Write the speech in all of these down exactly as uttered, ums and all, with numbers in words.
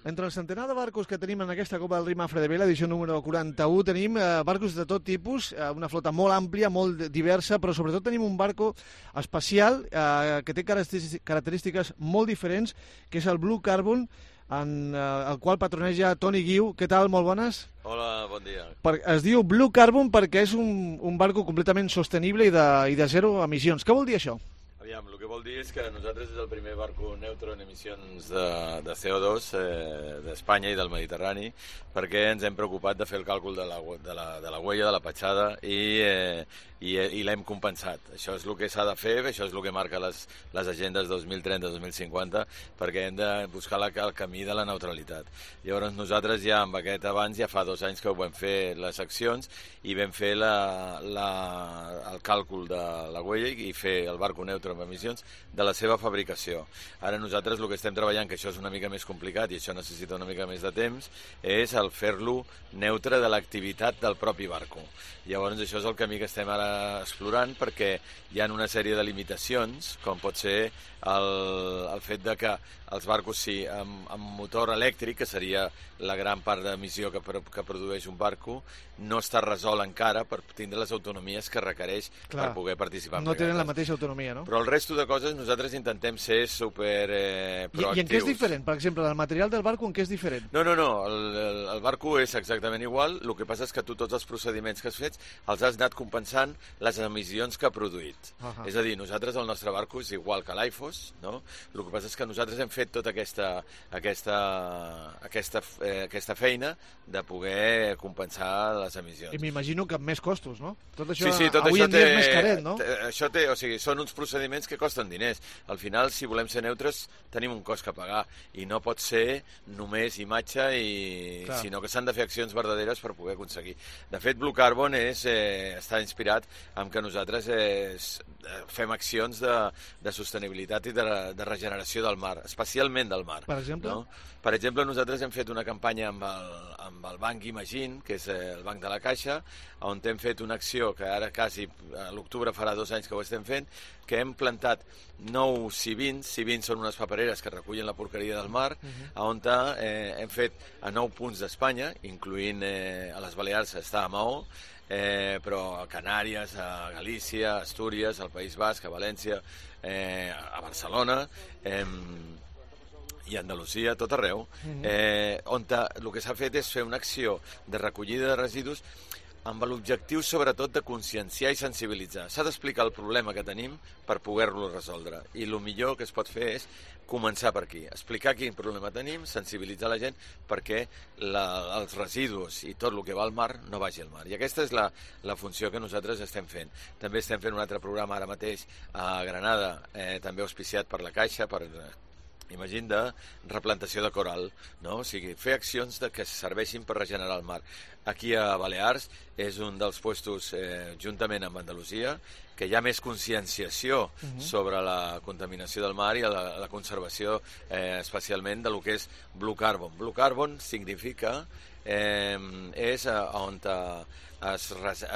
Entre el centenar de barcos que tenim en aquesta Copa del Rei Mafre de Vela, edició número quaranta-u, tenim eh, barcos de tot tipus, eh, una flota molt àmplia, molt diversa, però sobretot tenim un barco especial eh, que té característiques molt diferents, que és el Blue Carbon, en eh, el qual patroneja Toni Guiu. Què tal? Molt bones. Hola, bon dia. Per, es diu Blue Carbon perquè és un, un barco completament sostenible i de, i de zero emissions. Què vol dir això? Aviam, el que vol dir és que nosaltres és el primer barco neutre en emissions de, de C O dos eh, d'Espanya i del Mediterrani, perquè ens hem preocupat de fer el càlcul de la, de la, de la huella, de la petjada, i, eh, i, i l'hem compensat. Això és el que s'ha de fer, això és el que marca les, les agendes dos mil trenta dos mil cinquanta, perquè hem de buscar la, el camí de la neutralitat. Llavors nosaltres ja amb aquest abans, ja fa dos anys que ho vam fer les accions, i vam fer la, la, el càlcul de la huella i fer el barco neutre amb emissions de la seva fabricació. Ara nosaltres el que estem treballant, que això és una mica més complicat i això necessita una mica més de temps, és el fer-lo neutre de l'activitat del propi barco. Llavors això és el camí que estem ara explorant, perquè hi ha una sèrie de limitacions, com pot ser el, el fet de que els barcos sí, amb, amb motor elèctric, que seria la gran part d'emissió que, que produeix un barco, no està resolt encara per tindre les autonomies que requereix. Clar, per poder participar en no tenen la mateixa autonomia, no? Però el resto de coses nosaltres intentem ser super eh, proactius. I, I en què és diferent? Per exemple, el material del barco en què és diferent? No, no, no, el, el, el barco és exactament igual, el que passa és que tu tots els procediments que has fet els has anat compensant les emissions que ha produït. Uh -huh. És a dir, nosaltres el nostre barco és igual que l'Aifos, no? El que passa és que nosaltres hem fet tota aquesta, aquesta, aquesta, eh, aquesta feina de poder compensar les emissions. I m'imagino que amb més costos, no? Tot això, sí, sí, tot avui això en dia té, és més caret, no? Té, això té, o sigui, són uns procediments que costen diners. Al final, si volem ser neutres, tenim un cost que pagar, i no pot ser només imatge, i, sinó que s'han de fer accions verdaderes per poder aconseguir. De fet, Blue Carbon és, eh, està inspirat en que nosaltres eh, fem accions de, de sostenibilitat i de, de regeneració del mar, especialment del mar. Per exemple? No? Per exemple, nosaltres hem fet una campanya amb el, amb el Banc Imagine, que és el Banc de la Caixa, on hem fet una acció que ara quasi a l'octubre farà dos anys que ho estem fent, que hem plantat nou civins. Civins són unes papereres que recullen la porqueria del mar, uh-huh. on eh, hem fet a nou punts d'Espanya, incloent eh, a les Balears està a Maó, eh, però a Canàries, a Galícia, a Astúries, al País Basc, a València, eh, a Barcelona, eh, i a Andalusia, tot arreu, eh, on el que s'ha fet és fer una acció de recollida de residus amb l'objectiu sobretot de conscienciar i sensibilitzar. S'ha d'explicar el problema que tenim per poder-lo resoldre, i el millor que es pot fer és començar per aquí, explicar quin problema tenim, sensibilitzar la gent perquè la, els residus i tot el que va al mar no vagi al mar. I aquesta és la, la funció que nosaltres estem fent. També estem fent un altre programa ara mateix a Granada, eh, també auspiciat per la Caixa, per imagina, de replantació de coral, no? O sigui, fer accions de que serveixin per regenerar el mar. Aquí a Balears és un dels puestos, eh, juntament amb Andalusia, que hi ha més conscienciació uh-huh. sobre la contaminació del mar i la, la conservació, eh, especialment de lo que és Blue Carbon. Blue Carbon significa eh, és on es,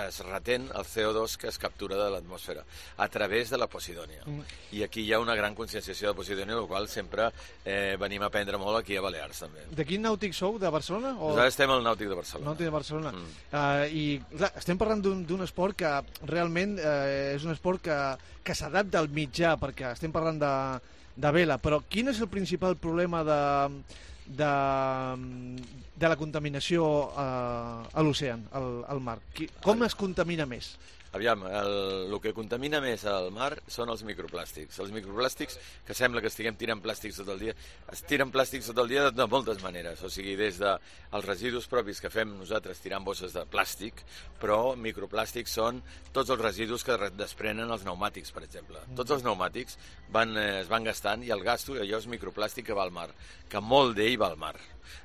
es retén el C O dos que es captura de l'atmosfera a través de la Posidònia. Mm. I aquí hi ha una gran conscienciació de Posidònia, el qual sempre eh, venim a aprendre molt aquí a Balears també. De quin nàutic sou? De Barcelona? O... Nosaltres estem al Nàutic de Barcelona. Nàutic de Barcelona. Mm. Uh, I clar, estem parlant d'un esport que realment uh, és un esport que, que s'adapta al mitjà, perquè estem parlant de, de vela, però quin és el principal problema de... De, de la contaminació uh, a l'oceà, al, al mar? Qui, com es contamina més? Aviam, el, el que contamina més al mar són els microplàstics. Els microplàstics, que sembla que estiguem tirant plàstics tot el dia, es tiren plàstics tot el dia de, de moltes maneres. O sigui, des dels residus propis que fem nosaltres tirant bosses de plàstic, però microplàstics són tots els residus que desprenen els pneumàtics, per exemple. Tots els pneumàtics van, eh, es van gastant, i el gasto, allò és microplàstic que va al mar, que molt d'ell va al mar.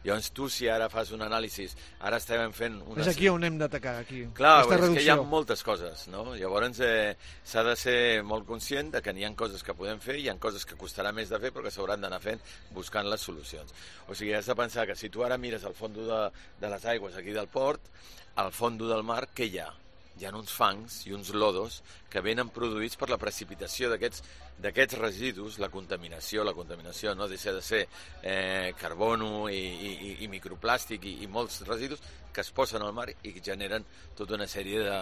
Llavors tu, si ara fas un anàlisi, ara estem fent una... És aquí on hem d'atacar, aquí. Clar, és reducció. Que hi ha moltes coses, no? Llavors eh, s'ha de ser molt conscient de que n'hi ha coses que podem fer, hi ha coses que costarà més de fer, però que s'hauran d'anar fent buscant les solucions. O sigui, has de pensar que si tu ara mires al fons de, de les aigües aquí del port, al fons del mar, què hi ha? hi ha uns fangs i uns lodos que venen produïts per la precipitació d'aquests d'aquests residus, la contaminació, la contaminació no deixa de ser eh, carbono i, i, i microplàstic i, i molts residus que es posen al mar i generen tota una sèrie de,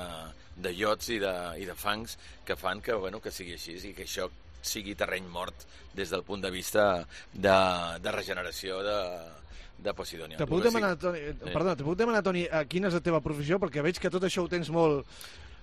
de iots i de, i de fangs que fan que, bueno, que sigui així i que això sigui terreny mort des del punt de vista de, de regeneració de, de Posidònia. Te puc demanar, Toni, sí. perdona, te puc demanar, Toni, quina és la teva professió? Perquè veig que tot això ho tens molt...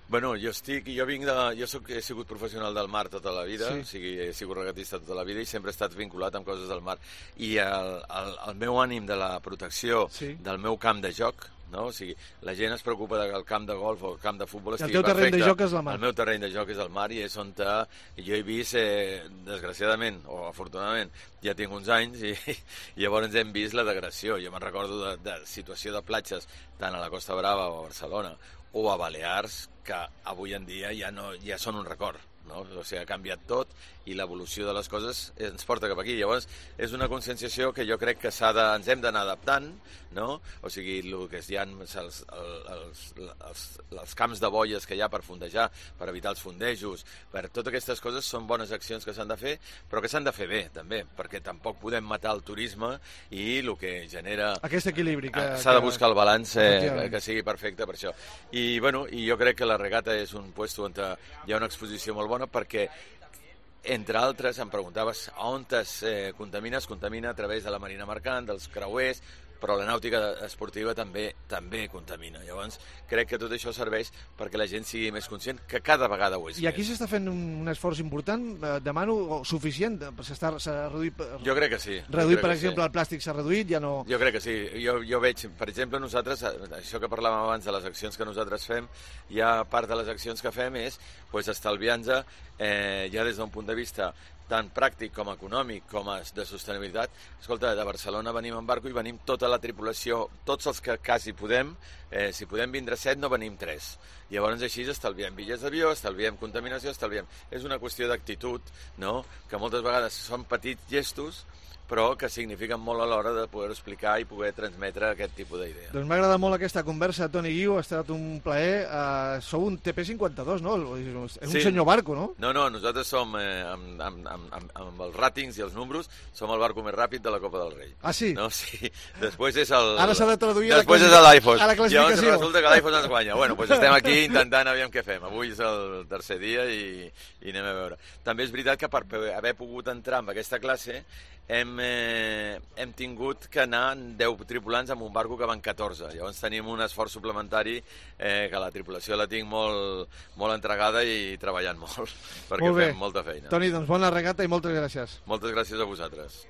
Bueno, jo estic, jo vinc de, jo soc, he sigut professional del mar tota la vida, sí. o sigui, he sigut regatista tota la vida i sempre he estat vinculat amb coses del mar. I el, el, el meu ànim de la protecció sí. del meu camp de joc, no? O sigui, la gent es preocupa que el camp de golf o el camp de futbol estigui perfecte. El teu terreny de joc és la mar. El meu terreny de joc és el mar i és on te, jo he vist, eh, desgraciadament o afortunadament, ja tinc uns anys i, i llavors hem vist la degradació. Jo me'n recordo de, de situació de platges tant a la Costa Brava o a Barcelona o a Balears que avui en dia ja, no, ja són un record. No? O sigui, ha canviat tot i l'evolució de les coses ens porta cap aquí. Llavors, és una conscienciació que jo crec que s'ha de, ens hem d'anar adaptant, no? O sigui, el que hi ha els, els, els, els, els camps de boies que hi ha per fondejar, per evitar els fondejos, per totes aquestes coses són bones accions que s'han de fer, però que s'han de fer bé, també, perquè tampoc podem matar el turisme i el que genera... Aquest equilibri que... S'ha de buscar el balanç eh, que sigui perfecte per això. I, bueno, i jo crec que la regata és un puesto on hi ha una exposició molt bona perquè, entre altres, em preguntaves on es eh, contamina, es contamina a través de la marina mercant, dels creuers, però la nàutica esportiva també també contamina. Llavors, crec que tot això serveix perquè la gent sigui més conscient, que cada vegada ho és. I aquí s'està fent un, un esforç important, eh, demano, suficient, s'ha reduït... Jo crec que sí. Reduït, per exemple, sí. El plàstic s'ha reduït, ja no... Jo crec que sí. Jo, jo veig, per exemple, nosaltres, això que parlàvem abans de les accions que nosaltres fem, ja part de les accions que fem és pues, estalviar-nos, eh, ja des d'un punt de vista tant pràctic com econòmic com de sostenibilitat. Escolta, de Barcelona venim en barco i venim tota la tripulació, tots els que quasi podem, eh, si podem vindre set no venim tres. Llavors així estalviem bitllets d'avió, estalviem contaminació, estalviem... És una qüestió d'actitud, no? Que moltes vegades són petits gestos, però que signifiquen molt a l'hora de poder explicar i poder transmetre aquest tipus d'idea. Doncs m'ha agradat molt aquesta conversa, Toni Guiu, ha estat un plaer. Uh, sou un T P cinquanta-dos, no? És un sí. senyor barco, no? No, no, nosaltres som, eh, amb, amb, amb, amb els ràtings i els números, som el barco més ràpid de la Copa del Rei. Ah, sí? No, sí. Després és el... Ara s'ha de traduir Després a la, és l'iPhone. a la classificació. Llavors resulta que l'iPhone ens guanya. Bueno, doncs estem aquí intentant aviam què fem. Avui és el tercer dia i, i anem a veure. També és veritat que per haver pogut entrar en aquesta classe hem, eh, hem tingut que anar deu tripulants amb un barco que van catorze. Llavors tenim un esforç suplementari eh, que la tripulació la tinc molt, molt entregada i treballant molt, perquè molt fem molta feina. Toni, doncs bona regata i moltes gràcies. Moltes gràcies a vosaltres.